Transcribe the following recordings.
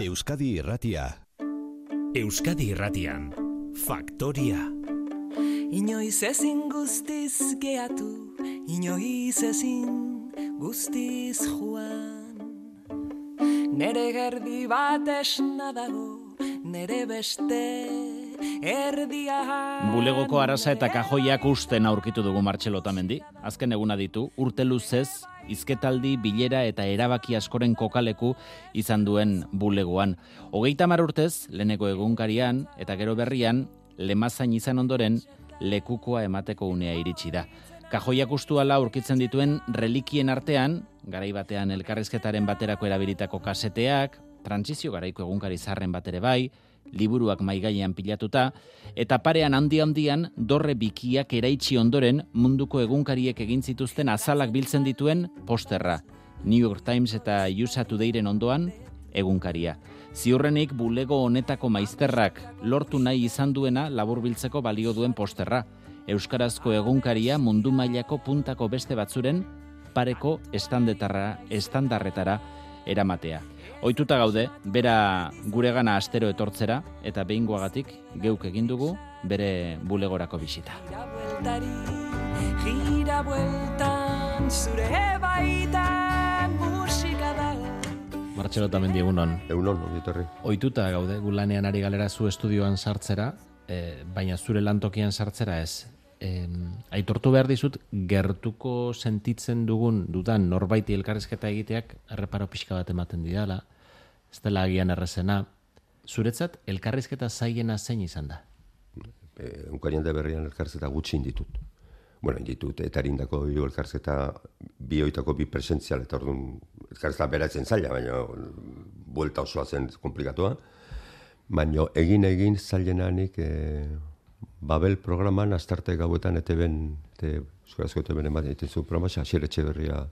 Euskadi Irratia. Euskadi Irratian, Faktoria. Inoiz ezin guztiz geatu, inoiz ezin guztiz joan. Nere gerdi bat esna dago, nere beste erdia. Bulegoko arasa eta kajoiak usten aurkitu dugu Martxelo Otamendi. Azken eguna ditu, urte luzez, hizketaldi, bilera eta erabaki askoren kokaleku izan duen bulegoan. 30 urtez, leheneko egunkarian eta gero berrian, lemazain izan ondoren, lekukoa emateko unea iritsi da. Kajoiak ustuala aurkitzen dituen relikien artean, garai batean elkarrizketaren baterako erabilitako kaseteak, trantsizio garaiko egunkari zarren bat ere bai, liburuak maigaian pilatuta, eta parean handi-handian dorre bikiak eraitsi ondoren munduko egunkariek egin zituzten azalak biltzen dituen posterra. New York Times eta USA Todayren ondoan egunkaria. Ziurrenik bulego honetako maizterrak lortu nahi izan duena laburbiltzeko balio duen posterra. Euskarazko egunkaria mundu mailako puntako beste batzuren pareko estandarretara eramatea. Ohituta gaude, bera guregana astero etortzera, eta behingoagatik geuk egin dugu bere bulegorako bisita. Gira bueltan, zure baitan musika dago. Martxelo Otamendi, egunon. Egunon, ongitorri. Ohituta gaude, gulanean ari galera zu estudioan sartzera, baina zure lantokian sartzera ez. Aitortu behar dizut, gertuko sentitzen dudan norbaiti elkarrizketa egiteak erreparo pixka bat ematen didala, ez dela agian errezena. Zuretzat, elkarrizketa zaiena zein izan da? Egunkarian da berrian elkarrizketa gutxi inditut. Bueno, inditut, eta erindako elkarrizketa bioitako bi presentzial, eta orduan elkarrizketa beratzen zaila, baina buelta osoa zen komplikatua. Baina egin zailenanik Babel programan astarte gauetan Euskarazko ETB-en ematen zu programa, Asier Etxeberria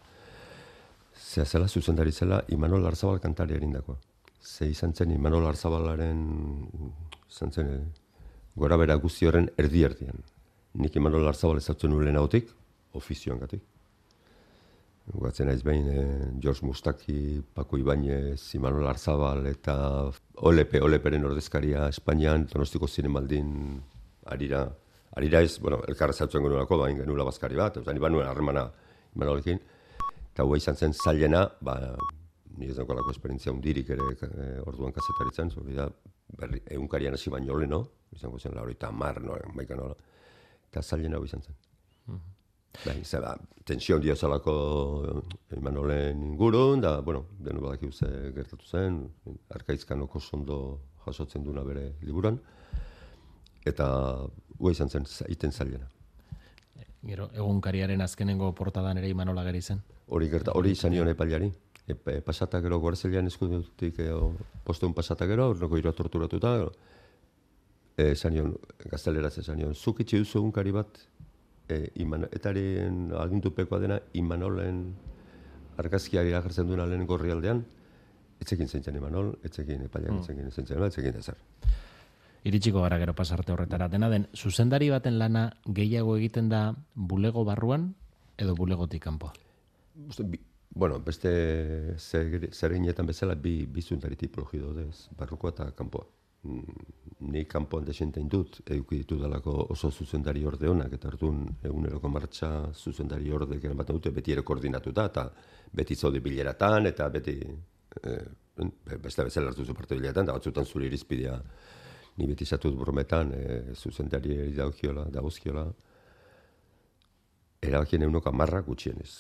zela zuzendari zela Imanol Arzabal kantari erindakoa. Ze izan zen Imanol Arzabalaren gora bera guzti horren erdi-erdian. Nik Imanol Arzabal ezautzen nuen lehenagotik, ofizioan gatik. Guatzen naiz behin George Mustaki, Paco Ibáñez, Imanol Arzabal eta Oleperen ordezkaria Espainian, Donostiko Zinemaldin Arira ez, elkarra zautzen genuelako, bain genuela bazkari bat, eta niban nuen harremana Imanolekin, eta hua izan zen zailena, nire ez daukalako esperientzia hundirik ere orduan kazetaritzen, egunkarian hasi baino leno, izango zen laurita maika nola, eta zailena hua izan zen. Tensio handia zalako Imanolen ingurun, da, denu badakigu ze gertatu zen, Arkaizkan oko sondo jasotzen duna bere liburan, eta hua izan zen iten zailena. Gero, egunkariaren azkenengo portadan ere Imanol ageri zen? Hori izan nion epailari. Pasata gero Guarzelian eskudutik posteun pasata gero, ornoko iroa torturatuta, esan nion, gazteleraz esan nion, zuk itxi duzu egunkari bat, etaren agindupekoa dena Imanolen argazkiari agertzen duena lehen gorri aldean, etzekin zentzen Imanol, etzekin epailak, etzekin ezer. Iritsiko gara gero pasarte horretara. Dena den, zuzendari baten lana gehiago egiten da bulego barruan edo bulegotik kanpo? Beste zereginetan bezala bi zuzendari tipologi daudez, barrukoa eta kanpoa. Ni kanpoan desenten dut, eduki ditu dalako oso zuzendari orde honak, eta hartun eguneroko martxa zuzendari orde geren bat dute, beti ere koordinatuta, eta beti zaude bileratan, eta beti beste bezala hartu zu parte bileratan, eta batzutan zure irizpidea ni beti zatut brometan, zuzendari dagozkiola, erabakien 110 gutxienez.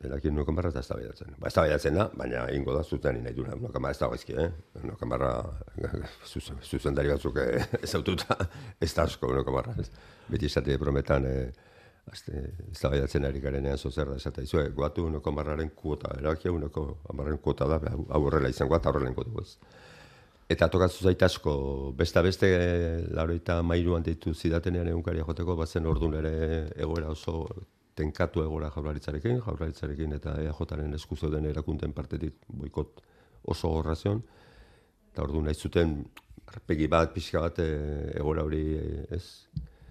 Erabakien 110 eta eztabaidatzen. Eztabaidatzen da, baina egingo da zuten nahi duna. 110 ez da gaizki, 110 zuzendari batzuk ezaututa, ez da asko 110. Beti esate brometan, eztabaidatzen ari garenean zozer da, esate izue, guatu 110aren kuota, erabakia 110aren kuota da, hau horrela izango eta horrela ingo dugu ez. Eta tokatzu zait asko, beste lauroita mairuan deitu zidatenean egunkaria joteko, bazen orduan ere egoera oso tenkatu egoera jaurlaritzarekin eta EAJaren esku zeuden erakunteen partetik boikot oso gorrazion. Eta orduan nahi zuten, arpegi bat, pixka bat, egoera hori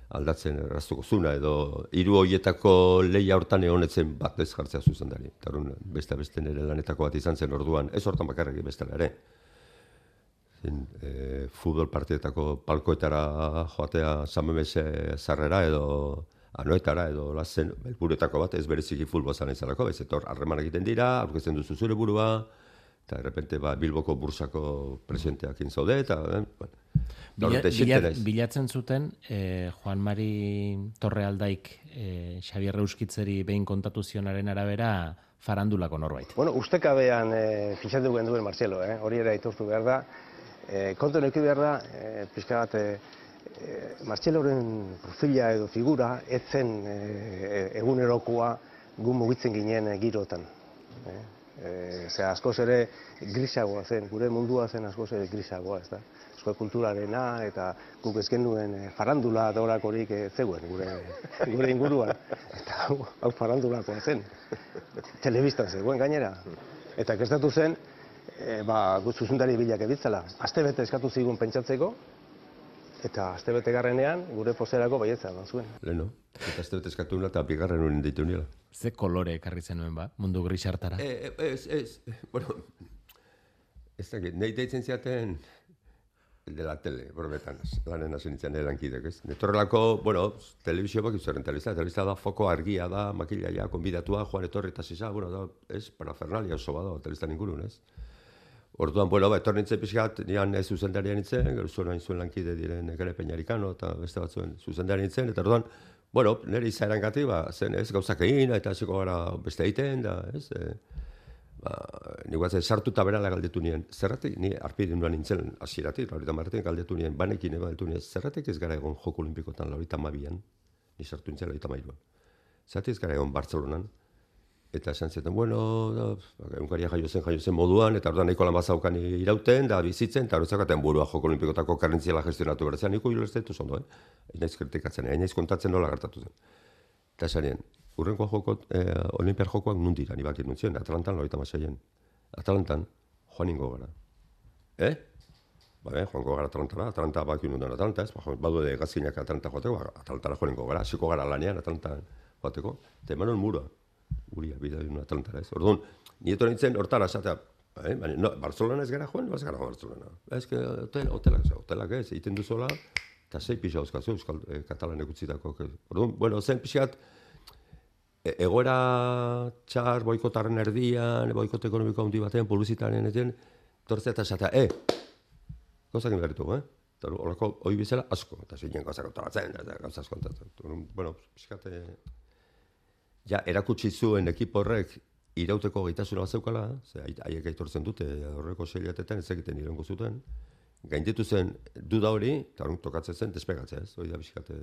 aldatzen erraztuko zuna, edo 3 horietako lehia hortan egonetzen bat ez jartzea zuzendari. Eta orduan beste nire lanetako bat izan zen orduan, ez hortan bakarrik bestela ere. futbol partietako palkoetara joatea Samamese zarrera edo Anoetara edo lazen helburuetako bat ez bereziki futbol zan izalako, ez etor harreman egiten dira, aurkezten duzu zure burua, eta de repente Bilboko bursako presidenteakin zaude, eta bilatzen zuten Juan Mari Torrealdaik Xabier Euskitzeri behin kontatu zionaren arabera farandulako norbait. Bueno, ustekabean fixatu duen Marcelo, hori ere aitortu behar da. Kontu neki behar da, pixka bat, Marceloren profila edo figura etzen egunerokoa gu mugitzen ginen girotan. Askoz ere grisagoa zen, gure mundua zen askoz ere grisagoa, ez da. Euskal kulturarena eta guk ez genuen farandula dorakorik zegoen gure inguruan. Eta hau farandulakoa zen. Telebistan zegoen gainera. Eta kestatu zen, zuzendari bilak ebitzela. Astebete eskatu zigun pentsatzeko, eta astebete garrenean gure pozerako baietza eman zuen. Leno, eta astebete eskatu nula eta bigarren unen ditu nila. Ze kolore ekarri zenuen mundu grisartara? Bueno, ez dakit, nahi deitzen ziaten de la tele, borbetan, lanen hasi nintzen erankidek, ez? Netorrelako, telebizio bak izaren telebizta da, foko argia da, makilaia, konbidatua, Juan etorri eta zisa, da, ez, parafernalia oso bada, telebiztan ingurun, ez? Orduan, etorri nintzen pixkat, nian zuzendarian nintzen, gero zuen hain zuen lankide diren Gare Peñarikano eta beste batzuen zuzendarian nintzen, eta orduan, nire izaeran gati, zen ez, gauzak egin, eta hasiko gara beste egiten, da, ez, niguatzen sartu eta berala galdetu nien, zerratik, ni arpide nuan nintzen hasieratik, Laurita Martin galdetu nien, banekin galdetu nien, zerratik ez gara egon Joko Olimpikotan Laurita Mabian, ni sartu nintzen Laurita Mairuan, zerratik ez gara egon Bartzelonan, eta esan zeten, egunkaria jaio zen moduan, eta orduan nahiko lan bazaukan irauten, da bizitzen, eta horretzakaten burua Joko Olimpikotako karrentziala gestionatu bertzen, niko hilerzetu zondo, Ainaiz kritikatzen, ainaiz kontatzen nola gertatu zen. Eta esan urrenko Olimpiar jokoak nundira, ni bakit nuntzien, Atlantan, Laurita Masaien. Atlantan, joaningo gara. Joango gara Atlanta bakit nundan Atlanta, ez? Badu de gazkinak Atlanta joateko, Atlantara joaningo gara, hasiko gara lanean Atlantan joateko, eta emanon mura. Guria, bidea duen Atlantara, ez? Orduan, nieto nintzen hortara esatea, Barcelona ez gara joan, ez gara Barcelona. Ez que hotelak ez, egiten duzola, eta 6 pixa euskazu, Euskal Katalanek utzitako. Orduan, zen pixat, egoera txar, boikotarren erdian, boikot ekonomiko handi batean, publizitaren eten, tortzea eta esatea, gauzak inberritu, Eta horreko hoi bizela asko, eta zeinen gauzak autoratzen, gauzak kontatzen. Pixat, ja, erakutsi zuen ekipo horrek irauteko gaitasuna bat zeukala, haiek aitortzen dute horreko seilatetan ez egiten irengo zuten, gainditu zen duda hori, eta horren tokatzen zen despegatzea, ez? Hori da bizkate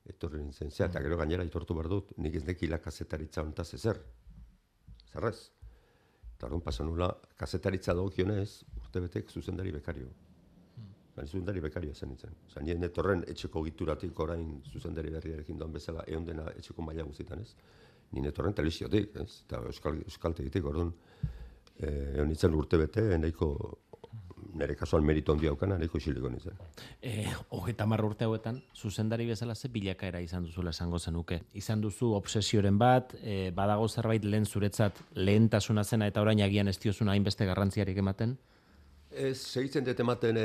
etorri nintzen zea, eta gero gainera aitortu behar dut, nik ez nekila kazetaritza hontaz ezer. Zerrez. Eta horren pasan nula, kazetaritza dagokionez, urtebetek zuzendari bekario. Zuzendari bekario zen nintzen. Nien etorren etxeko gituratik orain zuzendari berriarekin doan bezala, egon dena etxeko maila guztietan, ez? Nien etorren telebiziotik, ez? Eta euskaltegitik, orduan, egon nintzen urtebete, nire kasuan merito handia aukana, nahiko isiliko nintzen. 30 urte hauetan, zuzendari bezala ze bilakaera izan duzula esango zenuke. Izan duzu obsesioren bat, badago zerbait lehen zuretzat lehentasuna zena eta orain agian ez diozuna hainbeste garrantziarik ematen? Segitzen dut ematen,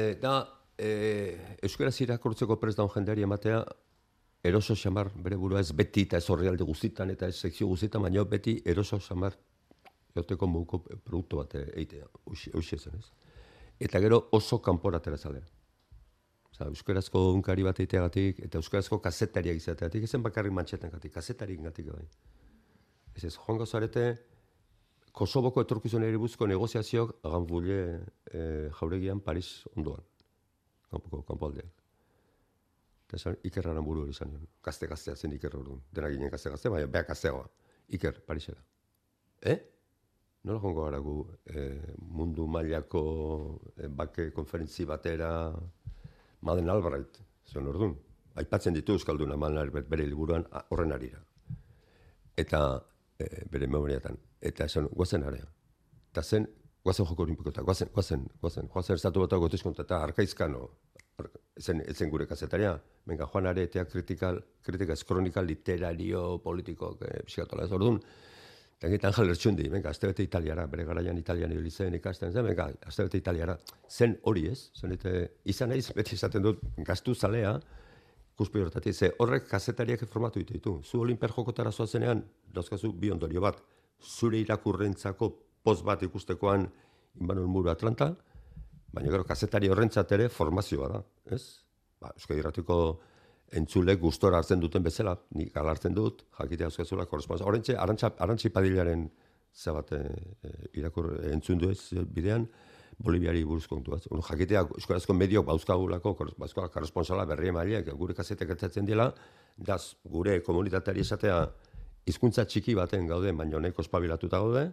euskaraz irakurtzeko prest daun jendeari ematea, eroso xamar bere burua ez beti eta ez horrealde guztitan eta ez sekzio guztitan, baina beti eroso xamar joteko muguko produktu bat eitea, hoxe zen ez. Eta gero oso kanporatera zalea. Euskarazko unkari bat eiteagatik eta euskarazko kazetariak izateagatik, ezen bakarrik mantxetan gatik, kazetarik gatik bai. Ez joango zarete, Kosovoko etorkizunari buruzko negoziazioak Ganvulle jauregian Paris ondoan. Kanpo aldean. Eta esan, Iker Aramburu hori izan nion. Gazte-gaztea zen Iker hori. Dena ginen gazte-gaztea, baina beha gazteagoa. Iker, Parisera. Nola jongo gara gu mundu mailako bake konferentzi batera Madeleine Albright, zen orduan. Aipatzen ditu Euskalduna Madeleine Albright bere liburuan horren arira. Eta bere memoriatan. Eta esan, guazen area. Eta zen, guazen Joko Olimpikota, guazen estatu batako gotizkonta, eta Arkaizkano, ezen gure kazetaria, venga, Juan Aretea kritika ez kronika literario, politiko, psikatola ez orduan. Eta Angel Ertxundi, venga, astebete Italiara, bere garaian Italian ibili zen ikasten zen, venga, astebete Italiara. Zen hori ez, izan naiz, beti esaten dut, gaztu zalea, ikuspegi horretatik, ze horrek kazetariak formatu ditu. Zu Olimpiar jokotara zoazenean, dauzkazu bi ondorio bat, zure irakurrentzako poz bat ikustekoan Imanol Muru Atlanta, baina gero kazetari horrentzat ere formazioa da, ez? Euskadi Irratiko entzulek gustora hartzen duten bezala, nik ala hartzen dut, jakitea euskazula korresponsa. Horrentxe, Arantxi Padillaren zabate entzun du ez bidean, Boliviari buruzko kontu bat. Jakitea euskarazko mediok bauzkagulako korresponsala berri emaileak, gure kazetek gertatzen dela, daz gure komunitateari esatea hizkuntza txiki baten gaude, baina nahiko espabilatuta gaude,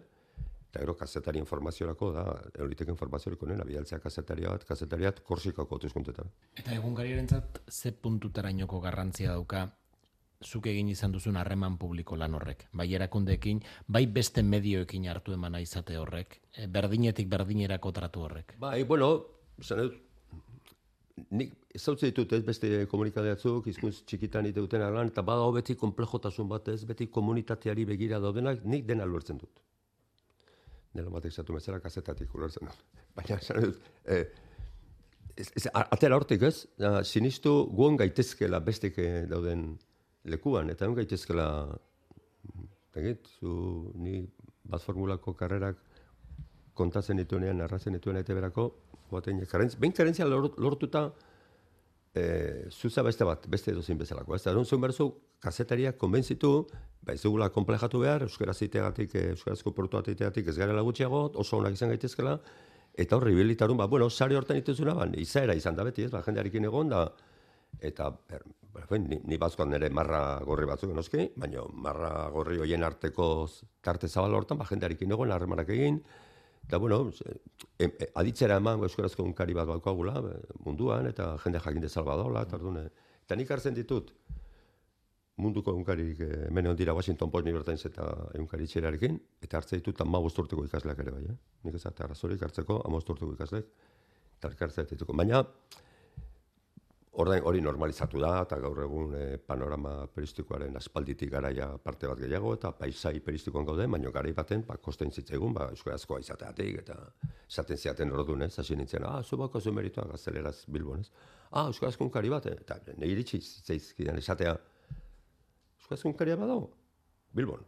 eta gero kazetari informaziorako da, eurriteko informazioriko nena, bidaltzea kazetariat Korsikako hauteskundeetan. Eta egunkariarentzat ze puntutarainoko garrantzia dauka zuk egin izan duzun harreman publiko lan horrek, bai erakundeekin, bai beste medioekin hartu emana izate horrek, berdinetik berdinerako tratu horrek. Bai, bueno, nik ezautzen ditut ez beste komunikadeatzuk, hizkuntz txikitan iteuten lan, eta badago beti konplejotasun bat ez, beti komunitateari begira daudenak, nik dena lortzen dut. Nela batek zatu metzela kazetatik lortzen dut. Baina, atera hortik ez, sinistu guon gaitezkela bestek dauden lekuan, eta egon gaitezkela, ni bat formulako karrerak kontatzen dituenean, narratzen dituenean eta berako, behin karentzia lortuta, zuza beste edozein bezalako. Ez da, zuen berzu, kazetariak konbentzitu, ez dugula komplejatu behar, euskaraz iteagatik, euskarazko portu iteagatik ez garela gutxiago, oso onak izan gaitezkela, eta horri bilitarun, sare hortan ituzuna, izaera izan da beti, jendearekin egon da, eta ni bazkoan nire marra gorri batzuk noski, baina marra gorri hoien arteko tarte zabal hortan, jendearekin egon, harremanak egin, eta aditzera eman euskarazko unkari bat baukagula munduan, eta jende jakin dezal badola, eta nik hartzen ditut munduko unkarik hemen ondira Washington Post New York Times eta unkari txerarekin, eta hartzen ditut 15 urteko ikasleak ere bai, nik ez arrazorik hartzeko 15 urteko ikasleak, eta hartzen dituko. Baina, hori normalizatu da, eta gaur egun panorama peristikoaren aspalditik garaia parte bat gehiago, eta paisai peristikoan gaude, baina garai baten, kosten zitzaigun, euskarazkoa izateatik, eta esaten ziaten ordun, hasi nintzen, zu bako zu meritua gazteleraz Bilbon, euskarazko unkari bat, eta nahi iritsi zitzaizkidan esatea, euskarazko unkaria badago, Bilbon.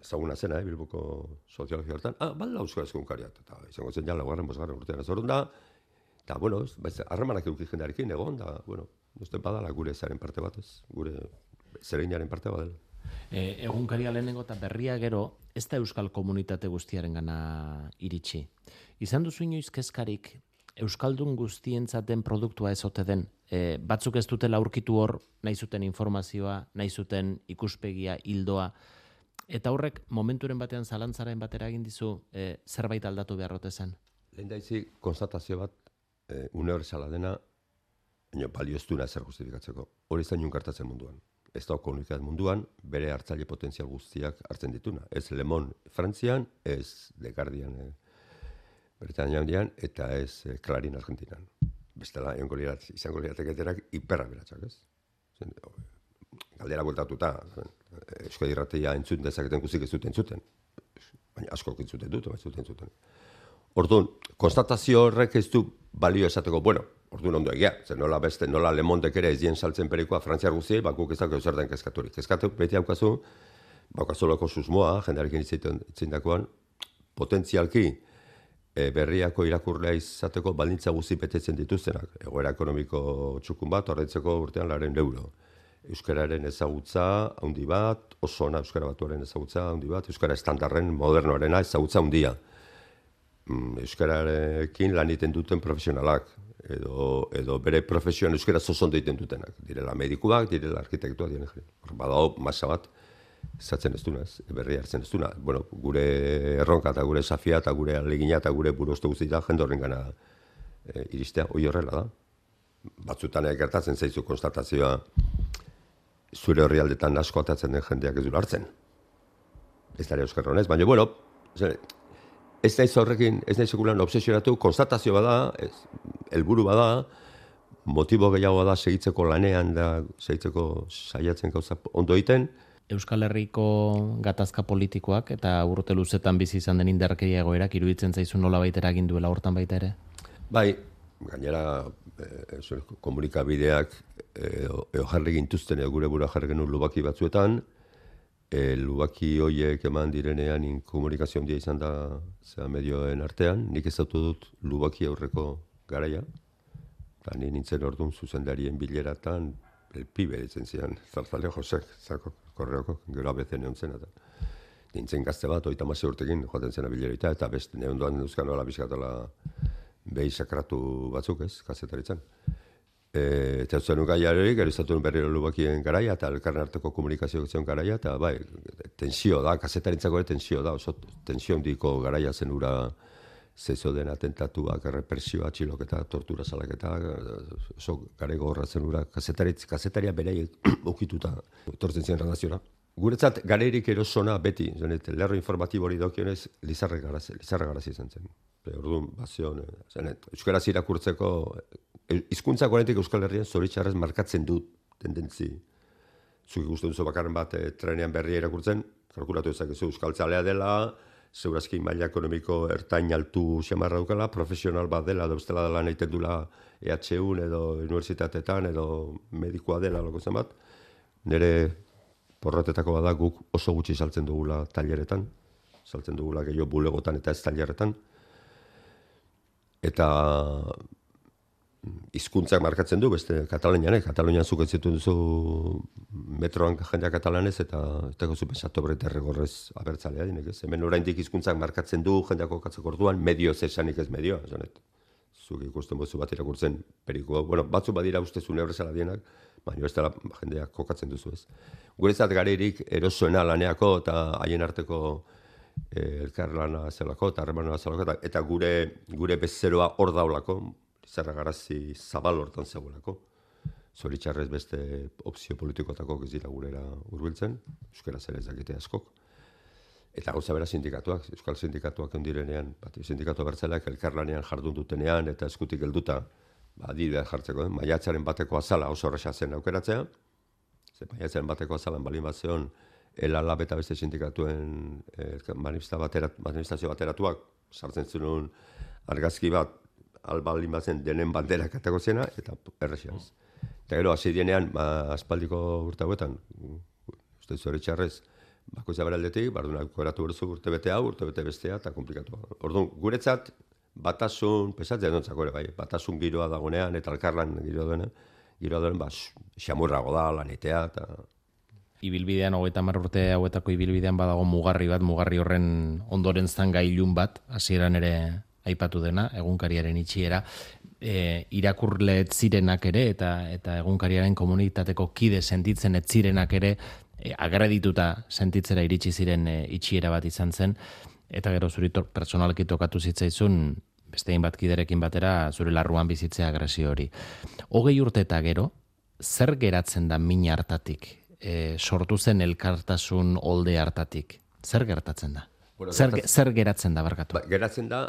Ezaguna zena, Bilboko soziologia hortan, bala euskarazko unkaria, eta izango zen ja laugarren, bosgarren urtean ez orduan da, eta, harremanak eduki jendearekin egon, da, badala gure zaren parte bat ez, gure zereginaren parte bat dela. Egunkaria lehenengo eta berria gero, ez da euskal komunitate guztiaren gana iritsi. Izan duzu inoiz kezkarik, euskaldun guztientzaten produktua ez ote den, batzuk ez dutela aurkitu hor, nahi zuten informazioa, nahi zuten ikuspegia, hildoa, eta horrek momenturen batean zalantzaren batera egin dizu zerbait aldatu beharrote zen? Lehen daizi, konstatazio bat, unibertsala dena, baina balioztuna zer justifikatzeko. Hori zain unkartatzen munduan. Ez da komunikat munduan, bere hartzaile potentzial guztiak hartzen dituna. Ez Le Monde Frantzian, ez The Guardian Britania handian, eta ez Clarín Argentinan. Bestela, izango lirateketerak hiperraberatsak, ez? Galdera bueltatuta, Euskadi Irratia entzun dezaketen guztik ez duten entzuten. Baina askok entzuten dut, entzuten. Orduan, konstatazio horrek ez du balio esateko, orduan ondo egia, nola Le Mondek ere ez dien saltzen perikoa frantziar guztiei, guk ezak zer den kezkaturik. Kezkatu beti haukazu, baukazoloko susmoa, jendearekin itzindakoan, potentzialki berriako irakurlea izateko baldintza guzti betetzen dituztenak. Egoera ekonomiko txukun bat, horretzeko urtean 100 euro. Euskararen ezagutza handi bat, oso ona euskara batuaren ezagutza handi bat, euskara estandarren modernoarena ezagutza handia. Euskararekin lan egiten duten profesionalak, edo bere profesioan euskara zozondo egiten dutenak. Direla medikuak, direla arkitektuak, badago masa bat, zatzen ez duna, berri hartzen ez duna. Gure erronka eta gure safia eta gure alegina eta gure buruzte guztia jende horren gana iristea, hori horrela da. Batzutan gertatzen zaizu konstatazioa zure horri aldetan asko atatzen den jendeak ez du hartzen. Ez da euskara honez, baina ez naiz horrekin, ez naiz sekulan obsesionatu, konstatazio bada, helburu bada, motibo gehiago da segitzeko lanean da, segitzeko saiatzen gauza ondo egiten. Euskal Herriko gatazka politikoak eta urte luzetan bizi izan den indarkeria egoerak iruditzen zaizu nolabait eragin duela hortan baita ere? Bai, gainera komunikabideak jarri gintuzten gure bura jarri genuen lubaki batzuetan, lubaki hoiek eman direnean komunikazio handia izan da medioen artean, nik ezautu dut lubaki aurreko garaia, eta ni nintzen orduan zuzendarien bileratan pibe ditzen zian, Zarzale Josek, korreoko, gero abezen egon zen, eta nintzen gazte bat, 36 urtekin joaten zena bileroita, eta beste neondoan euskan nola bizkatola behi sakratu batzuk ez, kazetaritzen. Eta ez zenun gaiarik, gero izatu berriro lubakien garaia, eta elkarren arteko komunikazio zion garaia, eta bai, tensio da, kazetarintzako ere tensio da, oso tensio handiko garaia zen ura zezo den atentatuak, represioa, txiloketa, tortura salaketa, oso gare gogorra zen ura, kazetaria bereiek ukituta, etortzen ziren redakziora. Guretzat, gareirik erosona beti, lerro informatibo hori dokionez, Lizarra Garazi izan zen. Orduan, bazion, euskaraz irakurtzeko, hizkuntzak oraindik Euskal Herrian zoritxarrez markatzen dut tendentzi. Zuk ikusten duzu bakarren bat trenean berria irakurtzen, kalkulatu ezakezu euskaltzalea dela, zeurazki maila ekonomiko ertain altu xamarra dukala, profesional bat dela, da ustela dela nahi dula EHUn edo unibertsitatetan edo medikoa dela loko zen bat. Nire porrotetako bada guk oso gutxi saltzen dugula taileretan, saltzen dugula gehiago bulegotan eta ez taileretan. Eta hizkuntzak markatzen du, beste Katalunian zuk entzituen duzu metroan jendea katalanez, eta zu pensatu berreta erregorrez abertzalea dinek ez. Hemen oraindik hizkuntzak markatzen du, jendeako katzeko orduan, medio zesanik ez medioa. Zuk ikusten bozu bat irakurtzen periko, batzu badira ustezun ebresala dienak, baina ez dela jendeak kokatzen duzu ez. Guretzat gareirik erosoena laneako eta haien arteko elkarlana zelako eta harremana zelako, eta gure bezeroa hor daulako, Lizarra Garazi zabal hortan zegoelako. Zoritxarrez beste opzio politikotako ez dira gurera hurbiltzen, euskaraz ere ez dakite askok. Eta gauza bera sindikatuak, euskal sindikatuak ondirenean, sindikatu bertzaleak elkarlanean jardun dutenean eta eskutik helduta, adibidea jartzeko, maiatzaren bateko azala oso horreza zen aukeratzea, maiatzaren bateko azalan balin bat zeon, Lab eta beste sindikatuen manifestazio bateratuak, sartzen zenun argazki bat, albalin batzen denen bandera katako zena, eta errexiaz. Eta gero, hasi dienean, aspaldiko urte hauetan, uste zoritxarrez, bakoitza beraldetik, bardunak koratu berzu urte bete hau, urte bete bestea, eta komplikatu. Orduan, guretzat, batasun, pesatzea dontzako ere, bai, batasun giroa dagonean, eta alkarlan giroa duen, xamurrago da, lanitea, eta... Ibilbidean, 30 urte hauetako ibilbidean badago mugarri horren ondoren zanga ilun bat, hasieran ere aipatu dena, egunkariaren itxiera, irakurle ez zirenak ere, eta egunkariaren komunitateko kide sentitzen ez zirenak ere, agredituta sentitzera iritsi ziren itxiera bat izan zen, eta gero zuritor personalki tokatu zitzaizun, beste bat kiderekin batera, zure larruan bizitzea agresio hori. 20 urte eta gero, zer geratzen da min hartatik? Sortu zen elkartasun olde hartatik. Zer gertatzen da? Zer geratzen da, barkatu? Geratzen da,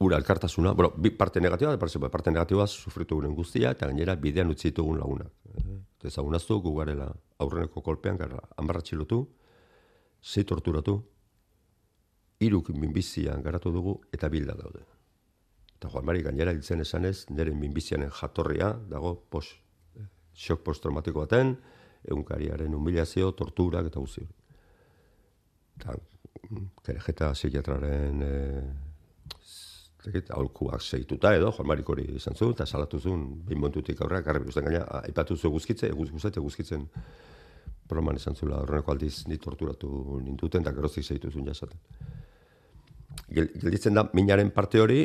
ura elkartasuna, bi parte negatiba, parte negatiba sufritu guren guztia, eta gainera bidean utzi ditugun lagunak. Ezagunaztu, gu garela aurreneko kolpean, gara amarratxilotu, 6 torturatu, 3 minbizian garatu dugu, eta bilda daude. Eta Juan Mari gainera hiltzen esanez, nire minbizianen jatorria dago shock postraumatiko baten, egunkariaren humilazio, torturak eta guzti hori. Eta Kerejeta psikiatraren aholkuak segituta edo, Juan Marik hori izan zuen, eta salatu zuen, behin montutik aurrera, garri buzten gaina, aipatu zuen guzkitzen, broman izan zuela, horreneko aldiz ni torturatu ninduten, eta geroztik segitu zuen jasaten. Gelditzen da, minaren parte hori,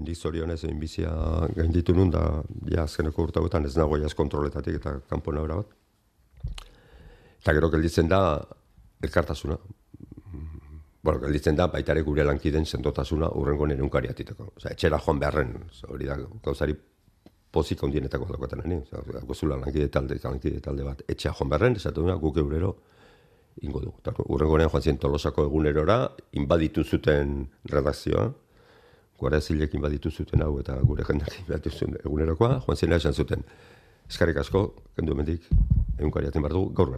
nik zorionez egin bizia gainditu nun, da azkeneko urtagoetan ez nago jaz kontroletatik eta kanpo nabera bat. Eta gero gelditzen da, elkartasuna. Gelditzen da, baitare gure lankiden sendotasuna urrengo nire unkari atiteko. Etxera joan beharren, hori da, gauzari pozik ondienetako dagoetan, gozula lankide talde bat, etxea joan beharren, esatu duna, guk eurero ingo dugu. Urrengo nire joan ziren Tolosako egunerora, inbaditu zuten redakzioa, Guardia Zibilek inbaditu zuten hau eta gure jendeak inbaditu zuten egunerokoa, joan ziren esan zuten, eskarrik asko, kendu hemendik, egunkari aten behar dugu, gaur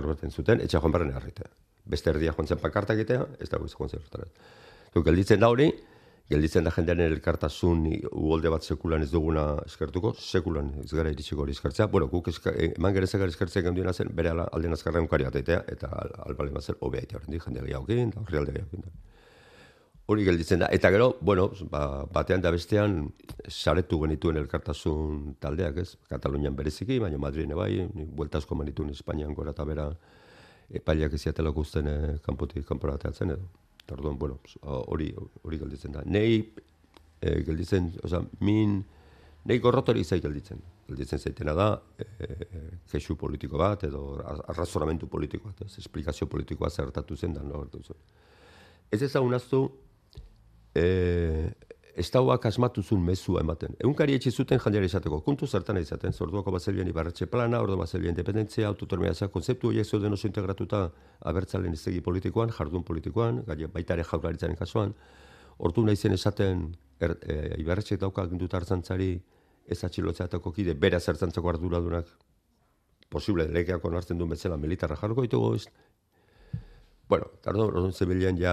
bertan zuten, etxe joan barren harritea. Beste erdia joan zen pankarta egitea, ez dago joan zen hortara. Gelditzen da hori, gelditzen da jendearen elkartasun uholde bat sekulan ez duguna eskertuko, sekulan ez gara iritsiko hori eskertzea. Bueno, guk eman gerezakar eskertzea genduena zen, bere aldean azkarra egunkari bat egitea, eta albale bat zen, obea egitea horrendik, jende gehiagokin, da horri alde gehiagokin. Hori gelditzen da. Eta gero, bueno, batean da bestean saretu genituen elkartasun taldeak, ez? Katalunian bereziki, baina Madriden bai, buelta asko manituen Espainian gora eta bera epaileak eziatelako uzten kanpora ateatzen edo. Orduan, bueno, hori gelditzen da. Nei gelditzen, nei gorrotori izai gelditzen. Gelditzen zaitena da, kexu politiko bat edo arrazonamentu politiko bat, ez? Esplikazio politikoa zertatu zen da, nortu zen. Ez ezagun aztu, estauak asmatu zuen mezua ematen. Egunkari etxe zuten jandeari izateko, kontu zertan izaten, orduako bazelien ibarretxe plana, orduan bazelien independentzia, autotormea kontzeptu horiek zeuden oso integratuta abertzalen iztegi politikoan, jardun politikoan, baita ere jaurlaritzaren kasuan, ordu nahi zen esaten ibarretxek dauka ginduta hartzantzari ez atxilotzatako kide, bera zertzantzako arduradunak posible legeak onartzen duen bezala militarra jarriko ditugu, bueno, orduan zebilean ja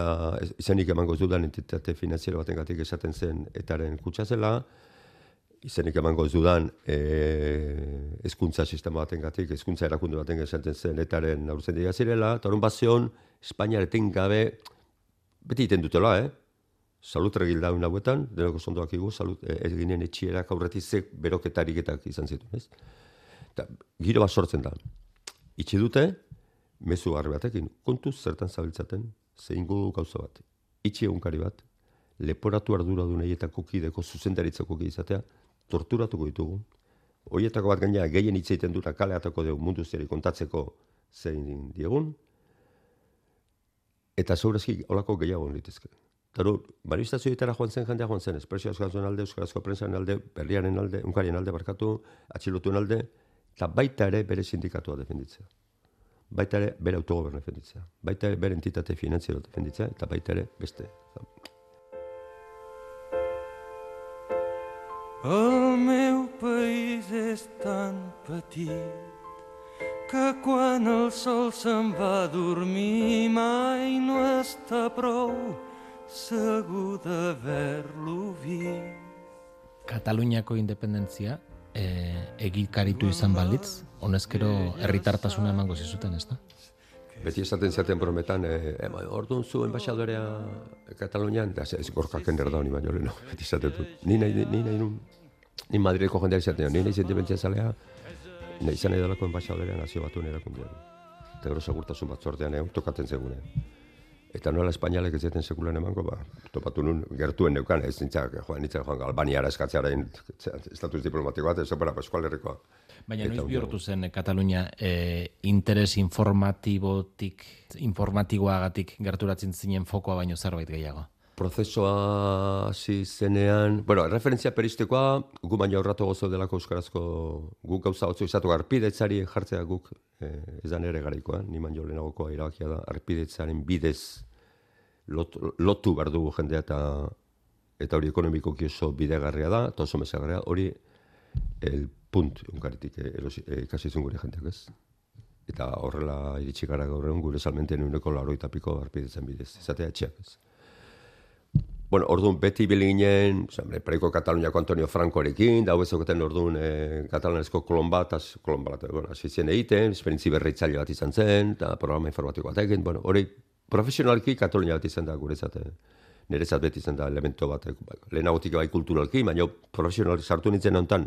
izenik emango ez dudan entitate finanziero batengatik esaten zen etaren kutsa zela, izenik emango ez dudan hezkuntza sistema batengatik, hezkuntza erakunde baten esaten zen etaren aurzen dira zirela, eta orduan bazion Espainiar etengabe beti iten dutela, salutregil daun hauetan, denoko zondoak igu, eginen etxierak aurretik ze beroketariketak izan zituen, ez? Eta giro bat sortzen da. Itxi dute, mezu garri batekin, kontuz zertan zabiltzaten, zein du gauza bat. Itxi egunkari bat, leporatu arduradun eietako kideko zuzendaritzako izatea, torturatuko ditugu. Hoietako bat gaina gehien hitz egiten dura kaleatako dugu mundu zeri kontatzeko zein diegun, eta zaurazki olako gehiago litezke. Taro, manifestazioetara joan zen jendea joan zen, espresio askazuen alde, euskarazko prentsaren alde, berriaren alde, unkarien alde barkatu, atxilotuen alde, eta baita ere bere sindikatua defenditzea. Baita ere bere autogobernu defenditzea, baita ere bere entitate finanziero defenditzea, eta baita ere beste. El meu país és tan petit que quan el sol se'n va a dormir mai no està prou segur d'haver-lo vist. Kataluniako independentzia egikaritu izan balitz, honezkero herritartasuna emango zizuten, ez da? Beti esaten zaten brometan, orduan zu enbaixadorea Katalunian, ez gorkaken erda honi baino leheno, beti esaten dut. Ni Madrideko jendeak izaten, ni nahi zendibentzia zalea, nahi izan edalako enbaixadorea nazio batuen erakundean. Eta gero segurtasun batzordean tokaten zegune. Eta nola Espainialek ez zaten sekulan emango, topatu nun gertuen neukan, ez nintzak joan Albaniara eskatzearen estatus diplomatiko bat, ez opera Eskual Herrikoa. Baina noiz bihurtu zen Katalunia interes informatiboagatik gerturatzen zinen fokoa baino zerbait gehiago? Prozesua hasi zenean, referentzia peristikoa, gu baina aurratu gozo delako euskarazko guk gauza hotzu izatu arpidetzari jartzea guk ez da nere garaikoa, ni baino lehenagokoa erabakia da, arpidetzaren bidez lotu behar dugu jendea eta hori ekonomikoki oso bidegarria da, eta oso mesagarria, hori el punt unkaritik ikasi zuen gure jendeak ez. Eta horrela iritsi gara gaur egun gure salmenten 180 arpidetzen bidez, izatea etxeak ez. Bueno, orduan beti biliginen, preiko Kataluniako Antonio Francorekin, da hobezoketan orduan katalanezko kolon bat hasi zen egiten, esperientzi berritzaile bat izan zen, eta programa informatiko bat egin, hori profesionalki Katalunia bat izan da guretzat, nerezat beti izan da elemento bat, lehenagotik bai kulturalki, baina profesional sartu nintzen honetan,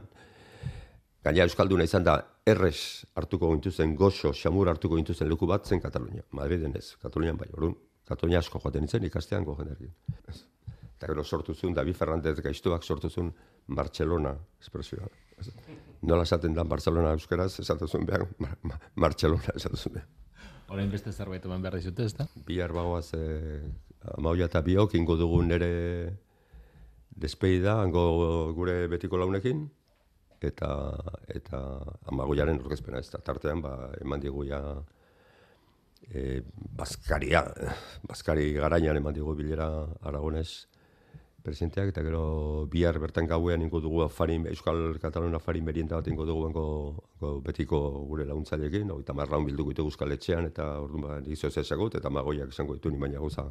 gaina euskalduna izan da errez hartuko gintuzen, goxo, xamur hartuko gintuzen leku bat zen Katalunia, Madriden ez, Katalunian bai, orduan, Katalunia asko joaten nintzen ikastean gojenerkin. Eta gero sortu zuen, David Fernández gaiztuak sortu zuen Barcelona espresioa. Nola esaten da Barcelona euskeraz, esaten zuen behar, Barcelona esaten zuen behar. Orain beste zerbait eman behar dizute, ez da? Bihar bagoaz, Amaoia eta biok, ingo dugun nire despeida, hango gure betiko launekin, eta Amagoiaren orkezpena ez da. Tartean, eman digu ja Baskari garainan eman digu bilera Aragonez, presidenteak, eta gero bihar bertan gauean ingo dugu Euskal Kataluna afari merienta bat ingo dugu betiko gure laguntzaileekin, 30 lagun bilduko ditugu Euskal Etxean, eta orduan ba, nizio zezagut, eta Magoiak izango ditu ni baina gauza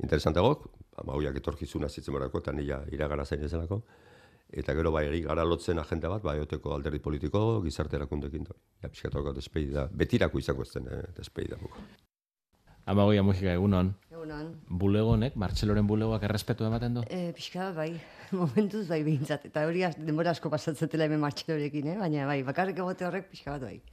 interesantegok, Magoiak etorkizuna zitzen barako, eta nila iragara zain ezenako, eta gero bai gara lotzen agenda bat, bai oteko alderdi politiko, gizarte erakundekin, ja, pixkatoko despedida, betirako izango ez den despedida muko. Amagoia Mujika, egunon. Egunon. Bulegonek, Martxeloren bulegoak errespetu ematen du? Pixka bai, momentuz bai behintzat. Eta hori denbora asko pasatzatela hemen Martxelorekin, baina bai, bakarrik egote horrek pixka bat bai.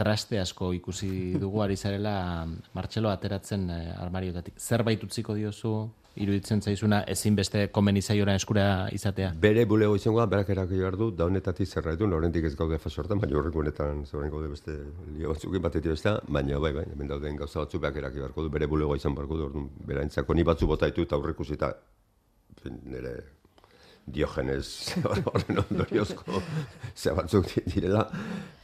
Traste asko ikusi dugu ari zarela Martxelo ateratzen armariotatik. Zerbait utziko diozu, iruditzen zaizuna ezinbeste komenizaioran eskura izatea? Bere bulego izango da, berak eraki behar du, da honetatik zerraitu, oraindik ez gaude fase hortan, baina horreko honetan zerren gaude beste lio batzukin batetik beste, baina bai, hemen dauden gauza batzu berak eraki beharko du, bere bulegoa izan beharko du, orduan beraintzako ni batzu bota ditu eta aurreikusi eta nire Diogenes horren ondoriozko ze batzuk direla,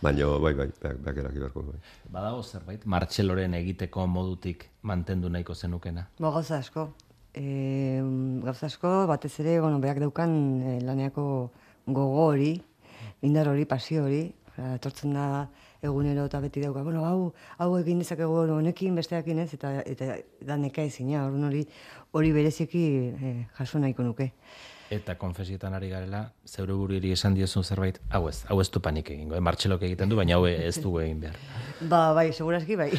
baina bai, berak eraki beharko du. Badago zerbait, Martxeloren egiteko modutik mantendu nahiko zenukena? Gauza asko. Gauza asko, batez ere, berak daukan laneako gogo hori, indar hori, pasio hori, etortzen da egunero eta beti dauka, hau egin dezakegu honekin, besteakin ez, eta da neka ezina, hori bereziki jaso nahiko nuke. Eta konfesietan ari garela, zeure buriri esan diozun zerbait, hau ez du panik egingo, Martxelok egiten du, baina hau ez du egin behar. Bai, segurazki bai.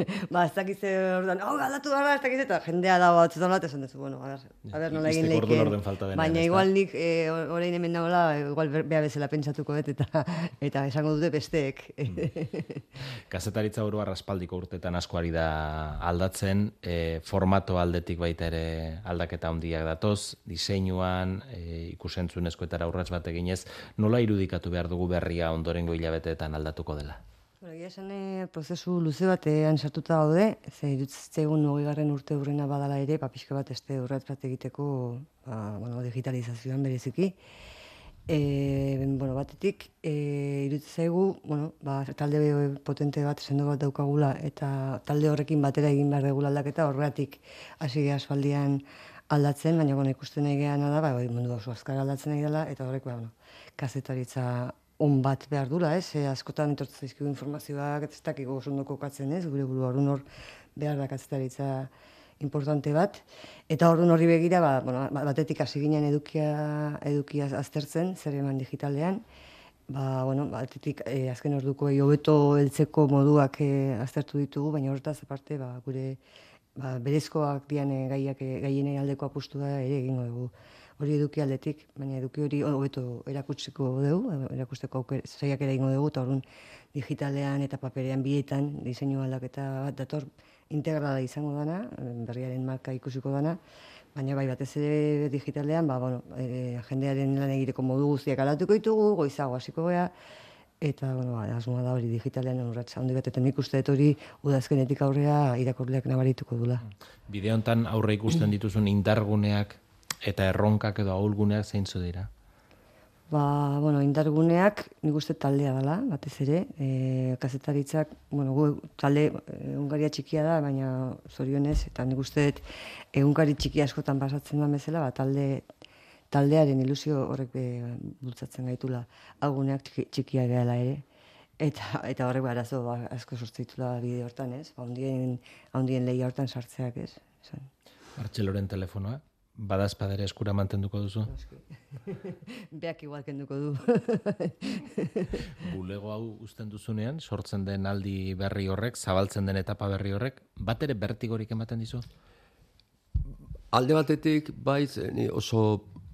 Ez dakiz orduan, galdatu gara, ez dakiz, eta jendea da batzutan bat, esan dezu, a ber, nola egin leiken. Baina igual nik orain hemen nagoela, igual beha bezala pentsatuko eta esango dute besteek. Kazetaritza burua raspaldiko urtetan asko ari da aldatzen, formato aldetik baita ere aldaketa handiak datoz, diseinuan, ikusentzunezkoetara urrats bat eginez, nola irudikatu behar dugu berria ondorengo hilabeteetan aldatuko dela? Egia esan prozesu luze batean sartuta gaude, ze irutzaigun 20. urte urrena badala ere, pixka bat urrats bat egiteko digitalizazioan bereziki. Batetik, irutzaigu, talde potente bat, sendo bat daukagula, eta talde horrekin batera egin behar dugula aldaketa, horregatik hasi aspaldian aldatzen, baina ikusten egeana da, mundu oso azkar aldatzen nahi dela, eta horrek, kazetaritza on bat behar dula, askotan etortzen zaizkigu informazioak, ez dakigu oso ondo kokatzen, gure buru orduan hor behar da kazetaritza importante bat, eta orduan horri begira, batetik hasi ginen edukia aztertzen, zer eman digitalean, batetik azken orduko hobeto heltzeko moduak aztertu ditugu, baina horretaz aparte gure berezkoak dian gaienei aldeko apustua ere egingo dugu. Hori eduki aldetik, baina eduki hori hobeto erakutsiko dugu, erakusteko saiakera egingo dugu, eta orduan digitalean eta paperean bietan diseinu aldaketa bat dator integrala izango dana, berriaren marka ikusiko dana, baina batez ere digitalean, jendearen lan egiteko modu guztiak aldatuko ditugu, goizago hasiko gea, eta, asmoa da hori digitalean urratsa handi bat, eta nik uste dut hori udazkenetik aurrea irakurleak nabarituko dula. Bide honetan aurre ikusten dituzun indarguneak eta erronkak edo ahulguneak zeintzu dira? Indarguneak nik uste taldea dela, batez ere, kazetaritzak, talde egunkaria txikia da, baina zorionez, eta nik uste egunkari txiki askotan pasatzen da bezala, taldearen ilusio horrek bultzatzen gaitula, aguneak txikia dela ere, eta horrek arazo asko sortzeitula bide hortan, ez? Handien lehia hortan sartzeak, ez? Martxeloren telefonoa, badazpadere eskura mantenduko duzu? Beak igual kenduko du. Bulego hau uzten duzunean, sortzen den aldi berri horrek, zabaltzen den etapa berri horrek, bat ere bertigorik ematen dizu? Alde batetik, ni oso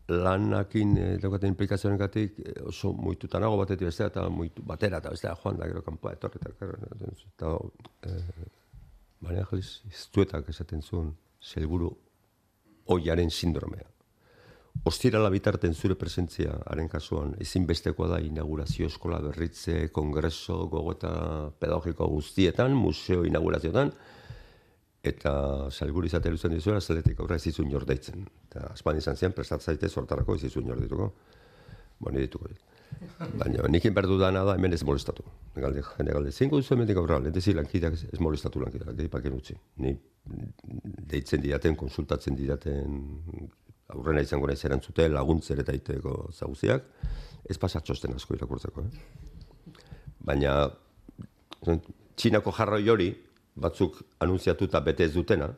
lanakin daukaten implikazioengatik oso muituta nago batetik bestea, eta muitu batera, eta bestea joan da gero kanpoa etorri, eta Maria Angelis iztuetak esaten zuen, zelburu oiaren sindromea. Ostirala bitarten zure presentzia haren kasuan, ezinbestekoa da inaugurazio eskola berritze, kongreso, gogota pedagogiko guztietan, museo inaugurazioetan, eta salburu izatea luzen dizuela, zeletik aurra ez izun jordeitzen. Eta aspan izan zian, prestatzaite sortarako ez izun jordituko. Dituko dit. Baina, nikin behar dudana da, hemen ez molestatu. Jende galde, zinko duzu hemendik aurra, lehentezi lankideak ez molestatu lankideak, gehipaken utzi. Ni deitzen didaten, konsultatzen didaten, aurrena izango nahi zerantzute, laguntzer eta iteko zaguziak, ez pasatxosten asko irakurtzeko. Baina, Txinako jarroi hori, batzuk anunziatuta bete ez dutena,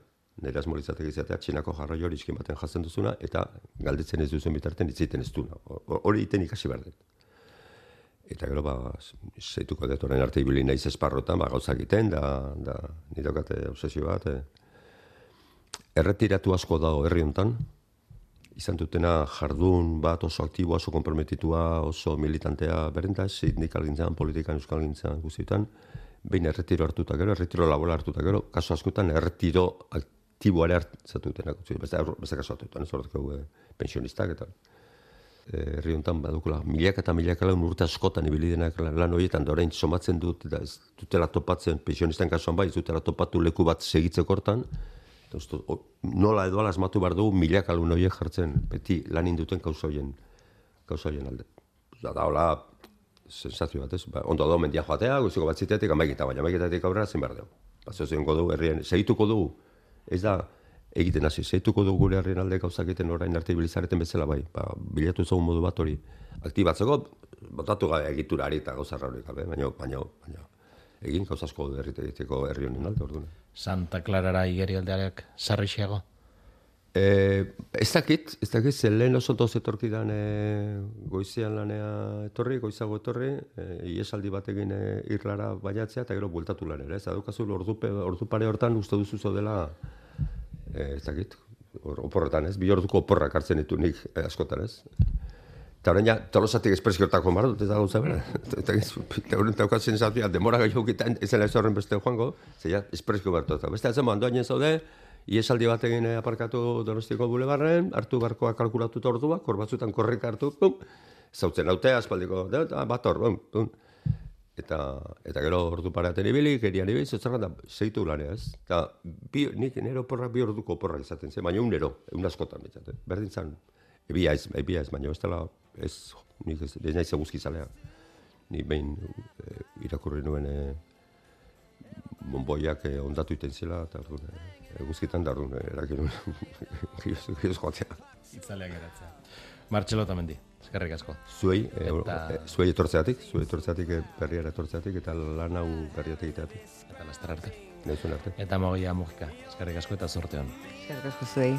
nire asmolizatek izatea, Txinako jarroi hori iskin baten jatzen duzuna, eta galdetzen ez duzen bitarten itziten ez duna. Hori iten ikasi behar dut. Eta gero, zeituko dut, orain arte ibili naiz esparrotan, gauzak egiten, da nire okate obsesio bat. Erretiratu asko dago herri hontan, izan dutena jardun bat oso aktiboa, oso komprometitua, oso militantea berenta, sindikalgintzan, politikan, euskalgintzan guztietan, behin erretiro hartuta gero, erretiro laboral hartuta gero, kaso askotan erretiro aktiboare hartzatutenak. Beste kaso hartutan, ez horretko pensionistak eta herri honetan badukula milaka eta milaka lan urte askotan ibili denak lan horietan, da orain somatzen dut, da ez dutela topatzen, pensionistan kasuan bai, ez dutela topatu leku bat segitzeko hortan, nola edo ala asmatu behar dugu milaka lan horiek jartzen, beti lan induten kauza horien alde. Da hola, sensazio bat, ez? Ondo da, mendia joatea, guztiko bat zitetik, amaiketatik aurrera zin behar dugu. Zeuzenko dugu herrien, segituko dugu, ez da, egiten hasi, segituko dugu gure herrien alde gauzak egiten orain arte ibilizareten bezala bai. Bilatu ezagun modu bat hori aktibatzeko, botatu gabe egiturari eta gauzarra hori gabe, baina egin gauzasko egiteko herri honen alde orduan. Santa Clarara igerialdeak sarrixiago? Ez dakit, zen lehen oso doz etorkidan goizean lanea etorri, goizago etorri, iesaldi batekin irlara bainatzea eta gero bueltatu lanera. Ez adukazu ordu pare hortan uste duzu dela, ez dakit, oporretan ez, 2 orduko oporrak hartzen ditu nik askotan ez. Eta horrein ja, tolosatik espreskiortako mar dut, ez da gauza bera. Eta horren daukatzen zautia, demora gaiukitan, ez zela ez horren beste joango, zeia espreskio bertu. Beste ez emo, handoainen zaude, iesaldi batekin aparkatu Donostiko bulebarren, hartu barkoa kalkulatuta orduak, hor batzutan korrika hartu, zautzen autea, aspaldiko, bat hor, Eta gero ordu paraten ibili, gerian ibili, zetzarra da, zeitu lanea ez. Eta nik nero oporrak 2 orduko oporrak izaten zen, baina egun askotan bitzat. Berdin zan, ebia ez, baina ez dela, nik ez naiz eguzkizalea. Ni behin irakurri nuen bonboiak ondatu iten zela, eta eguzkitan da orduan, erakin gioz joatzea. Itzaleak geratzea. Martxelo Otamendi, eskerrik asko. Zuei etortzeatik, berriara etortzeatik, eta lan hau berriatik egiteatik. Eta laster arte. Naizuen arte. Eta Mogia Mujika, eskerrik asko eta zorte hon. Eskerrik asko zuei.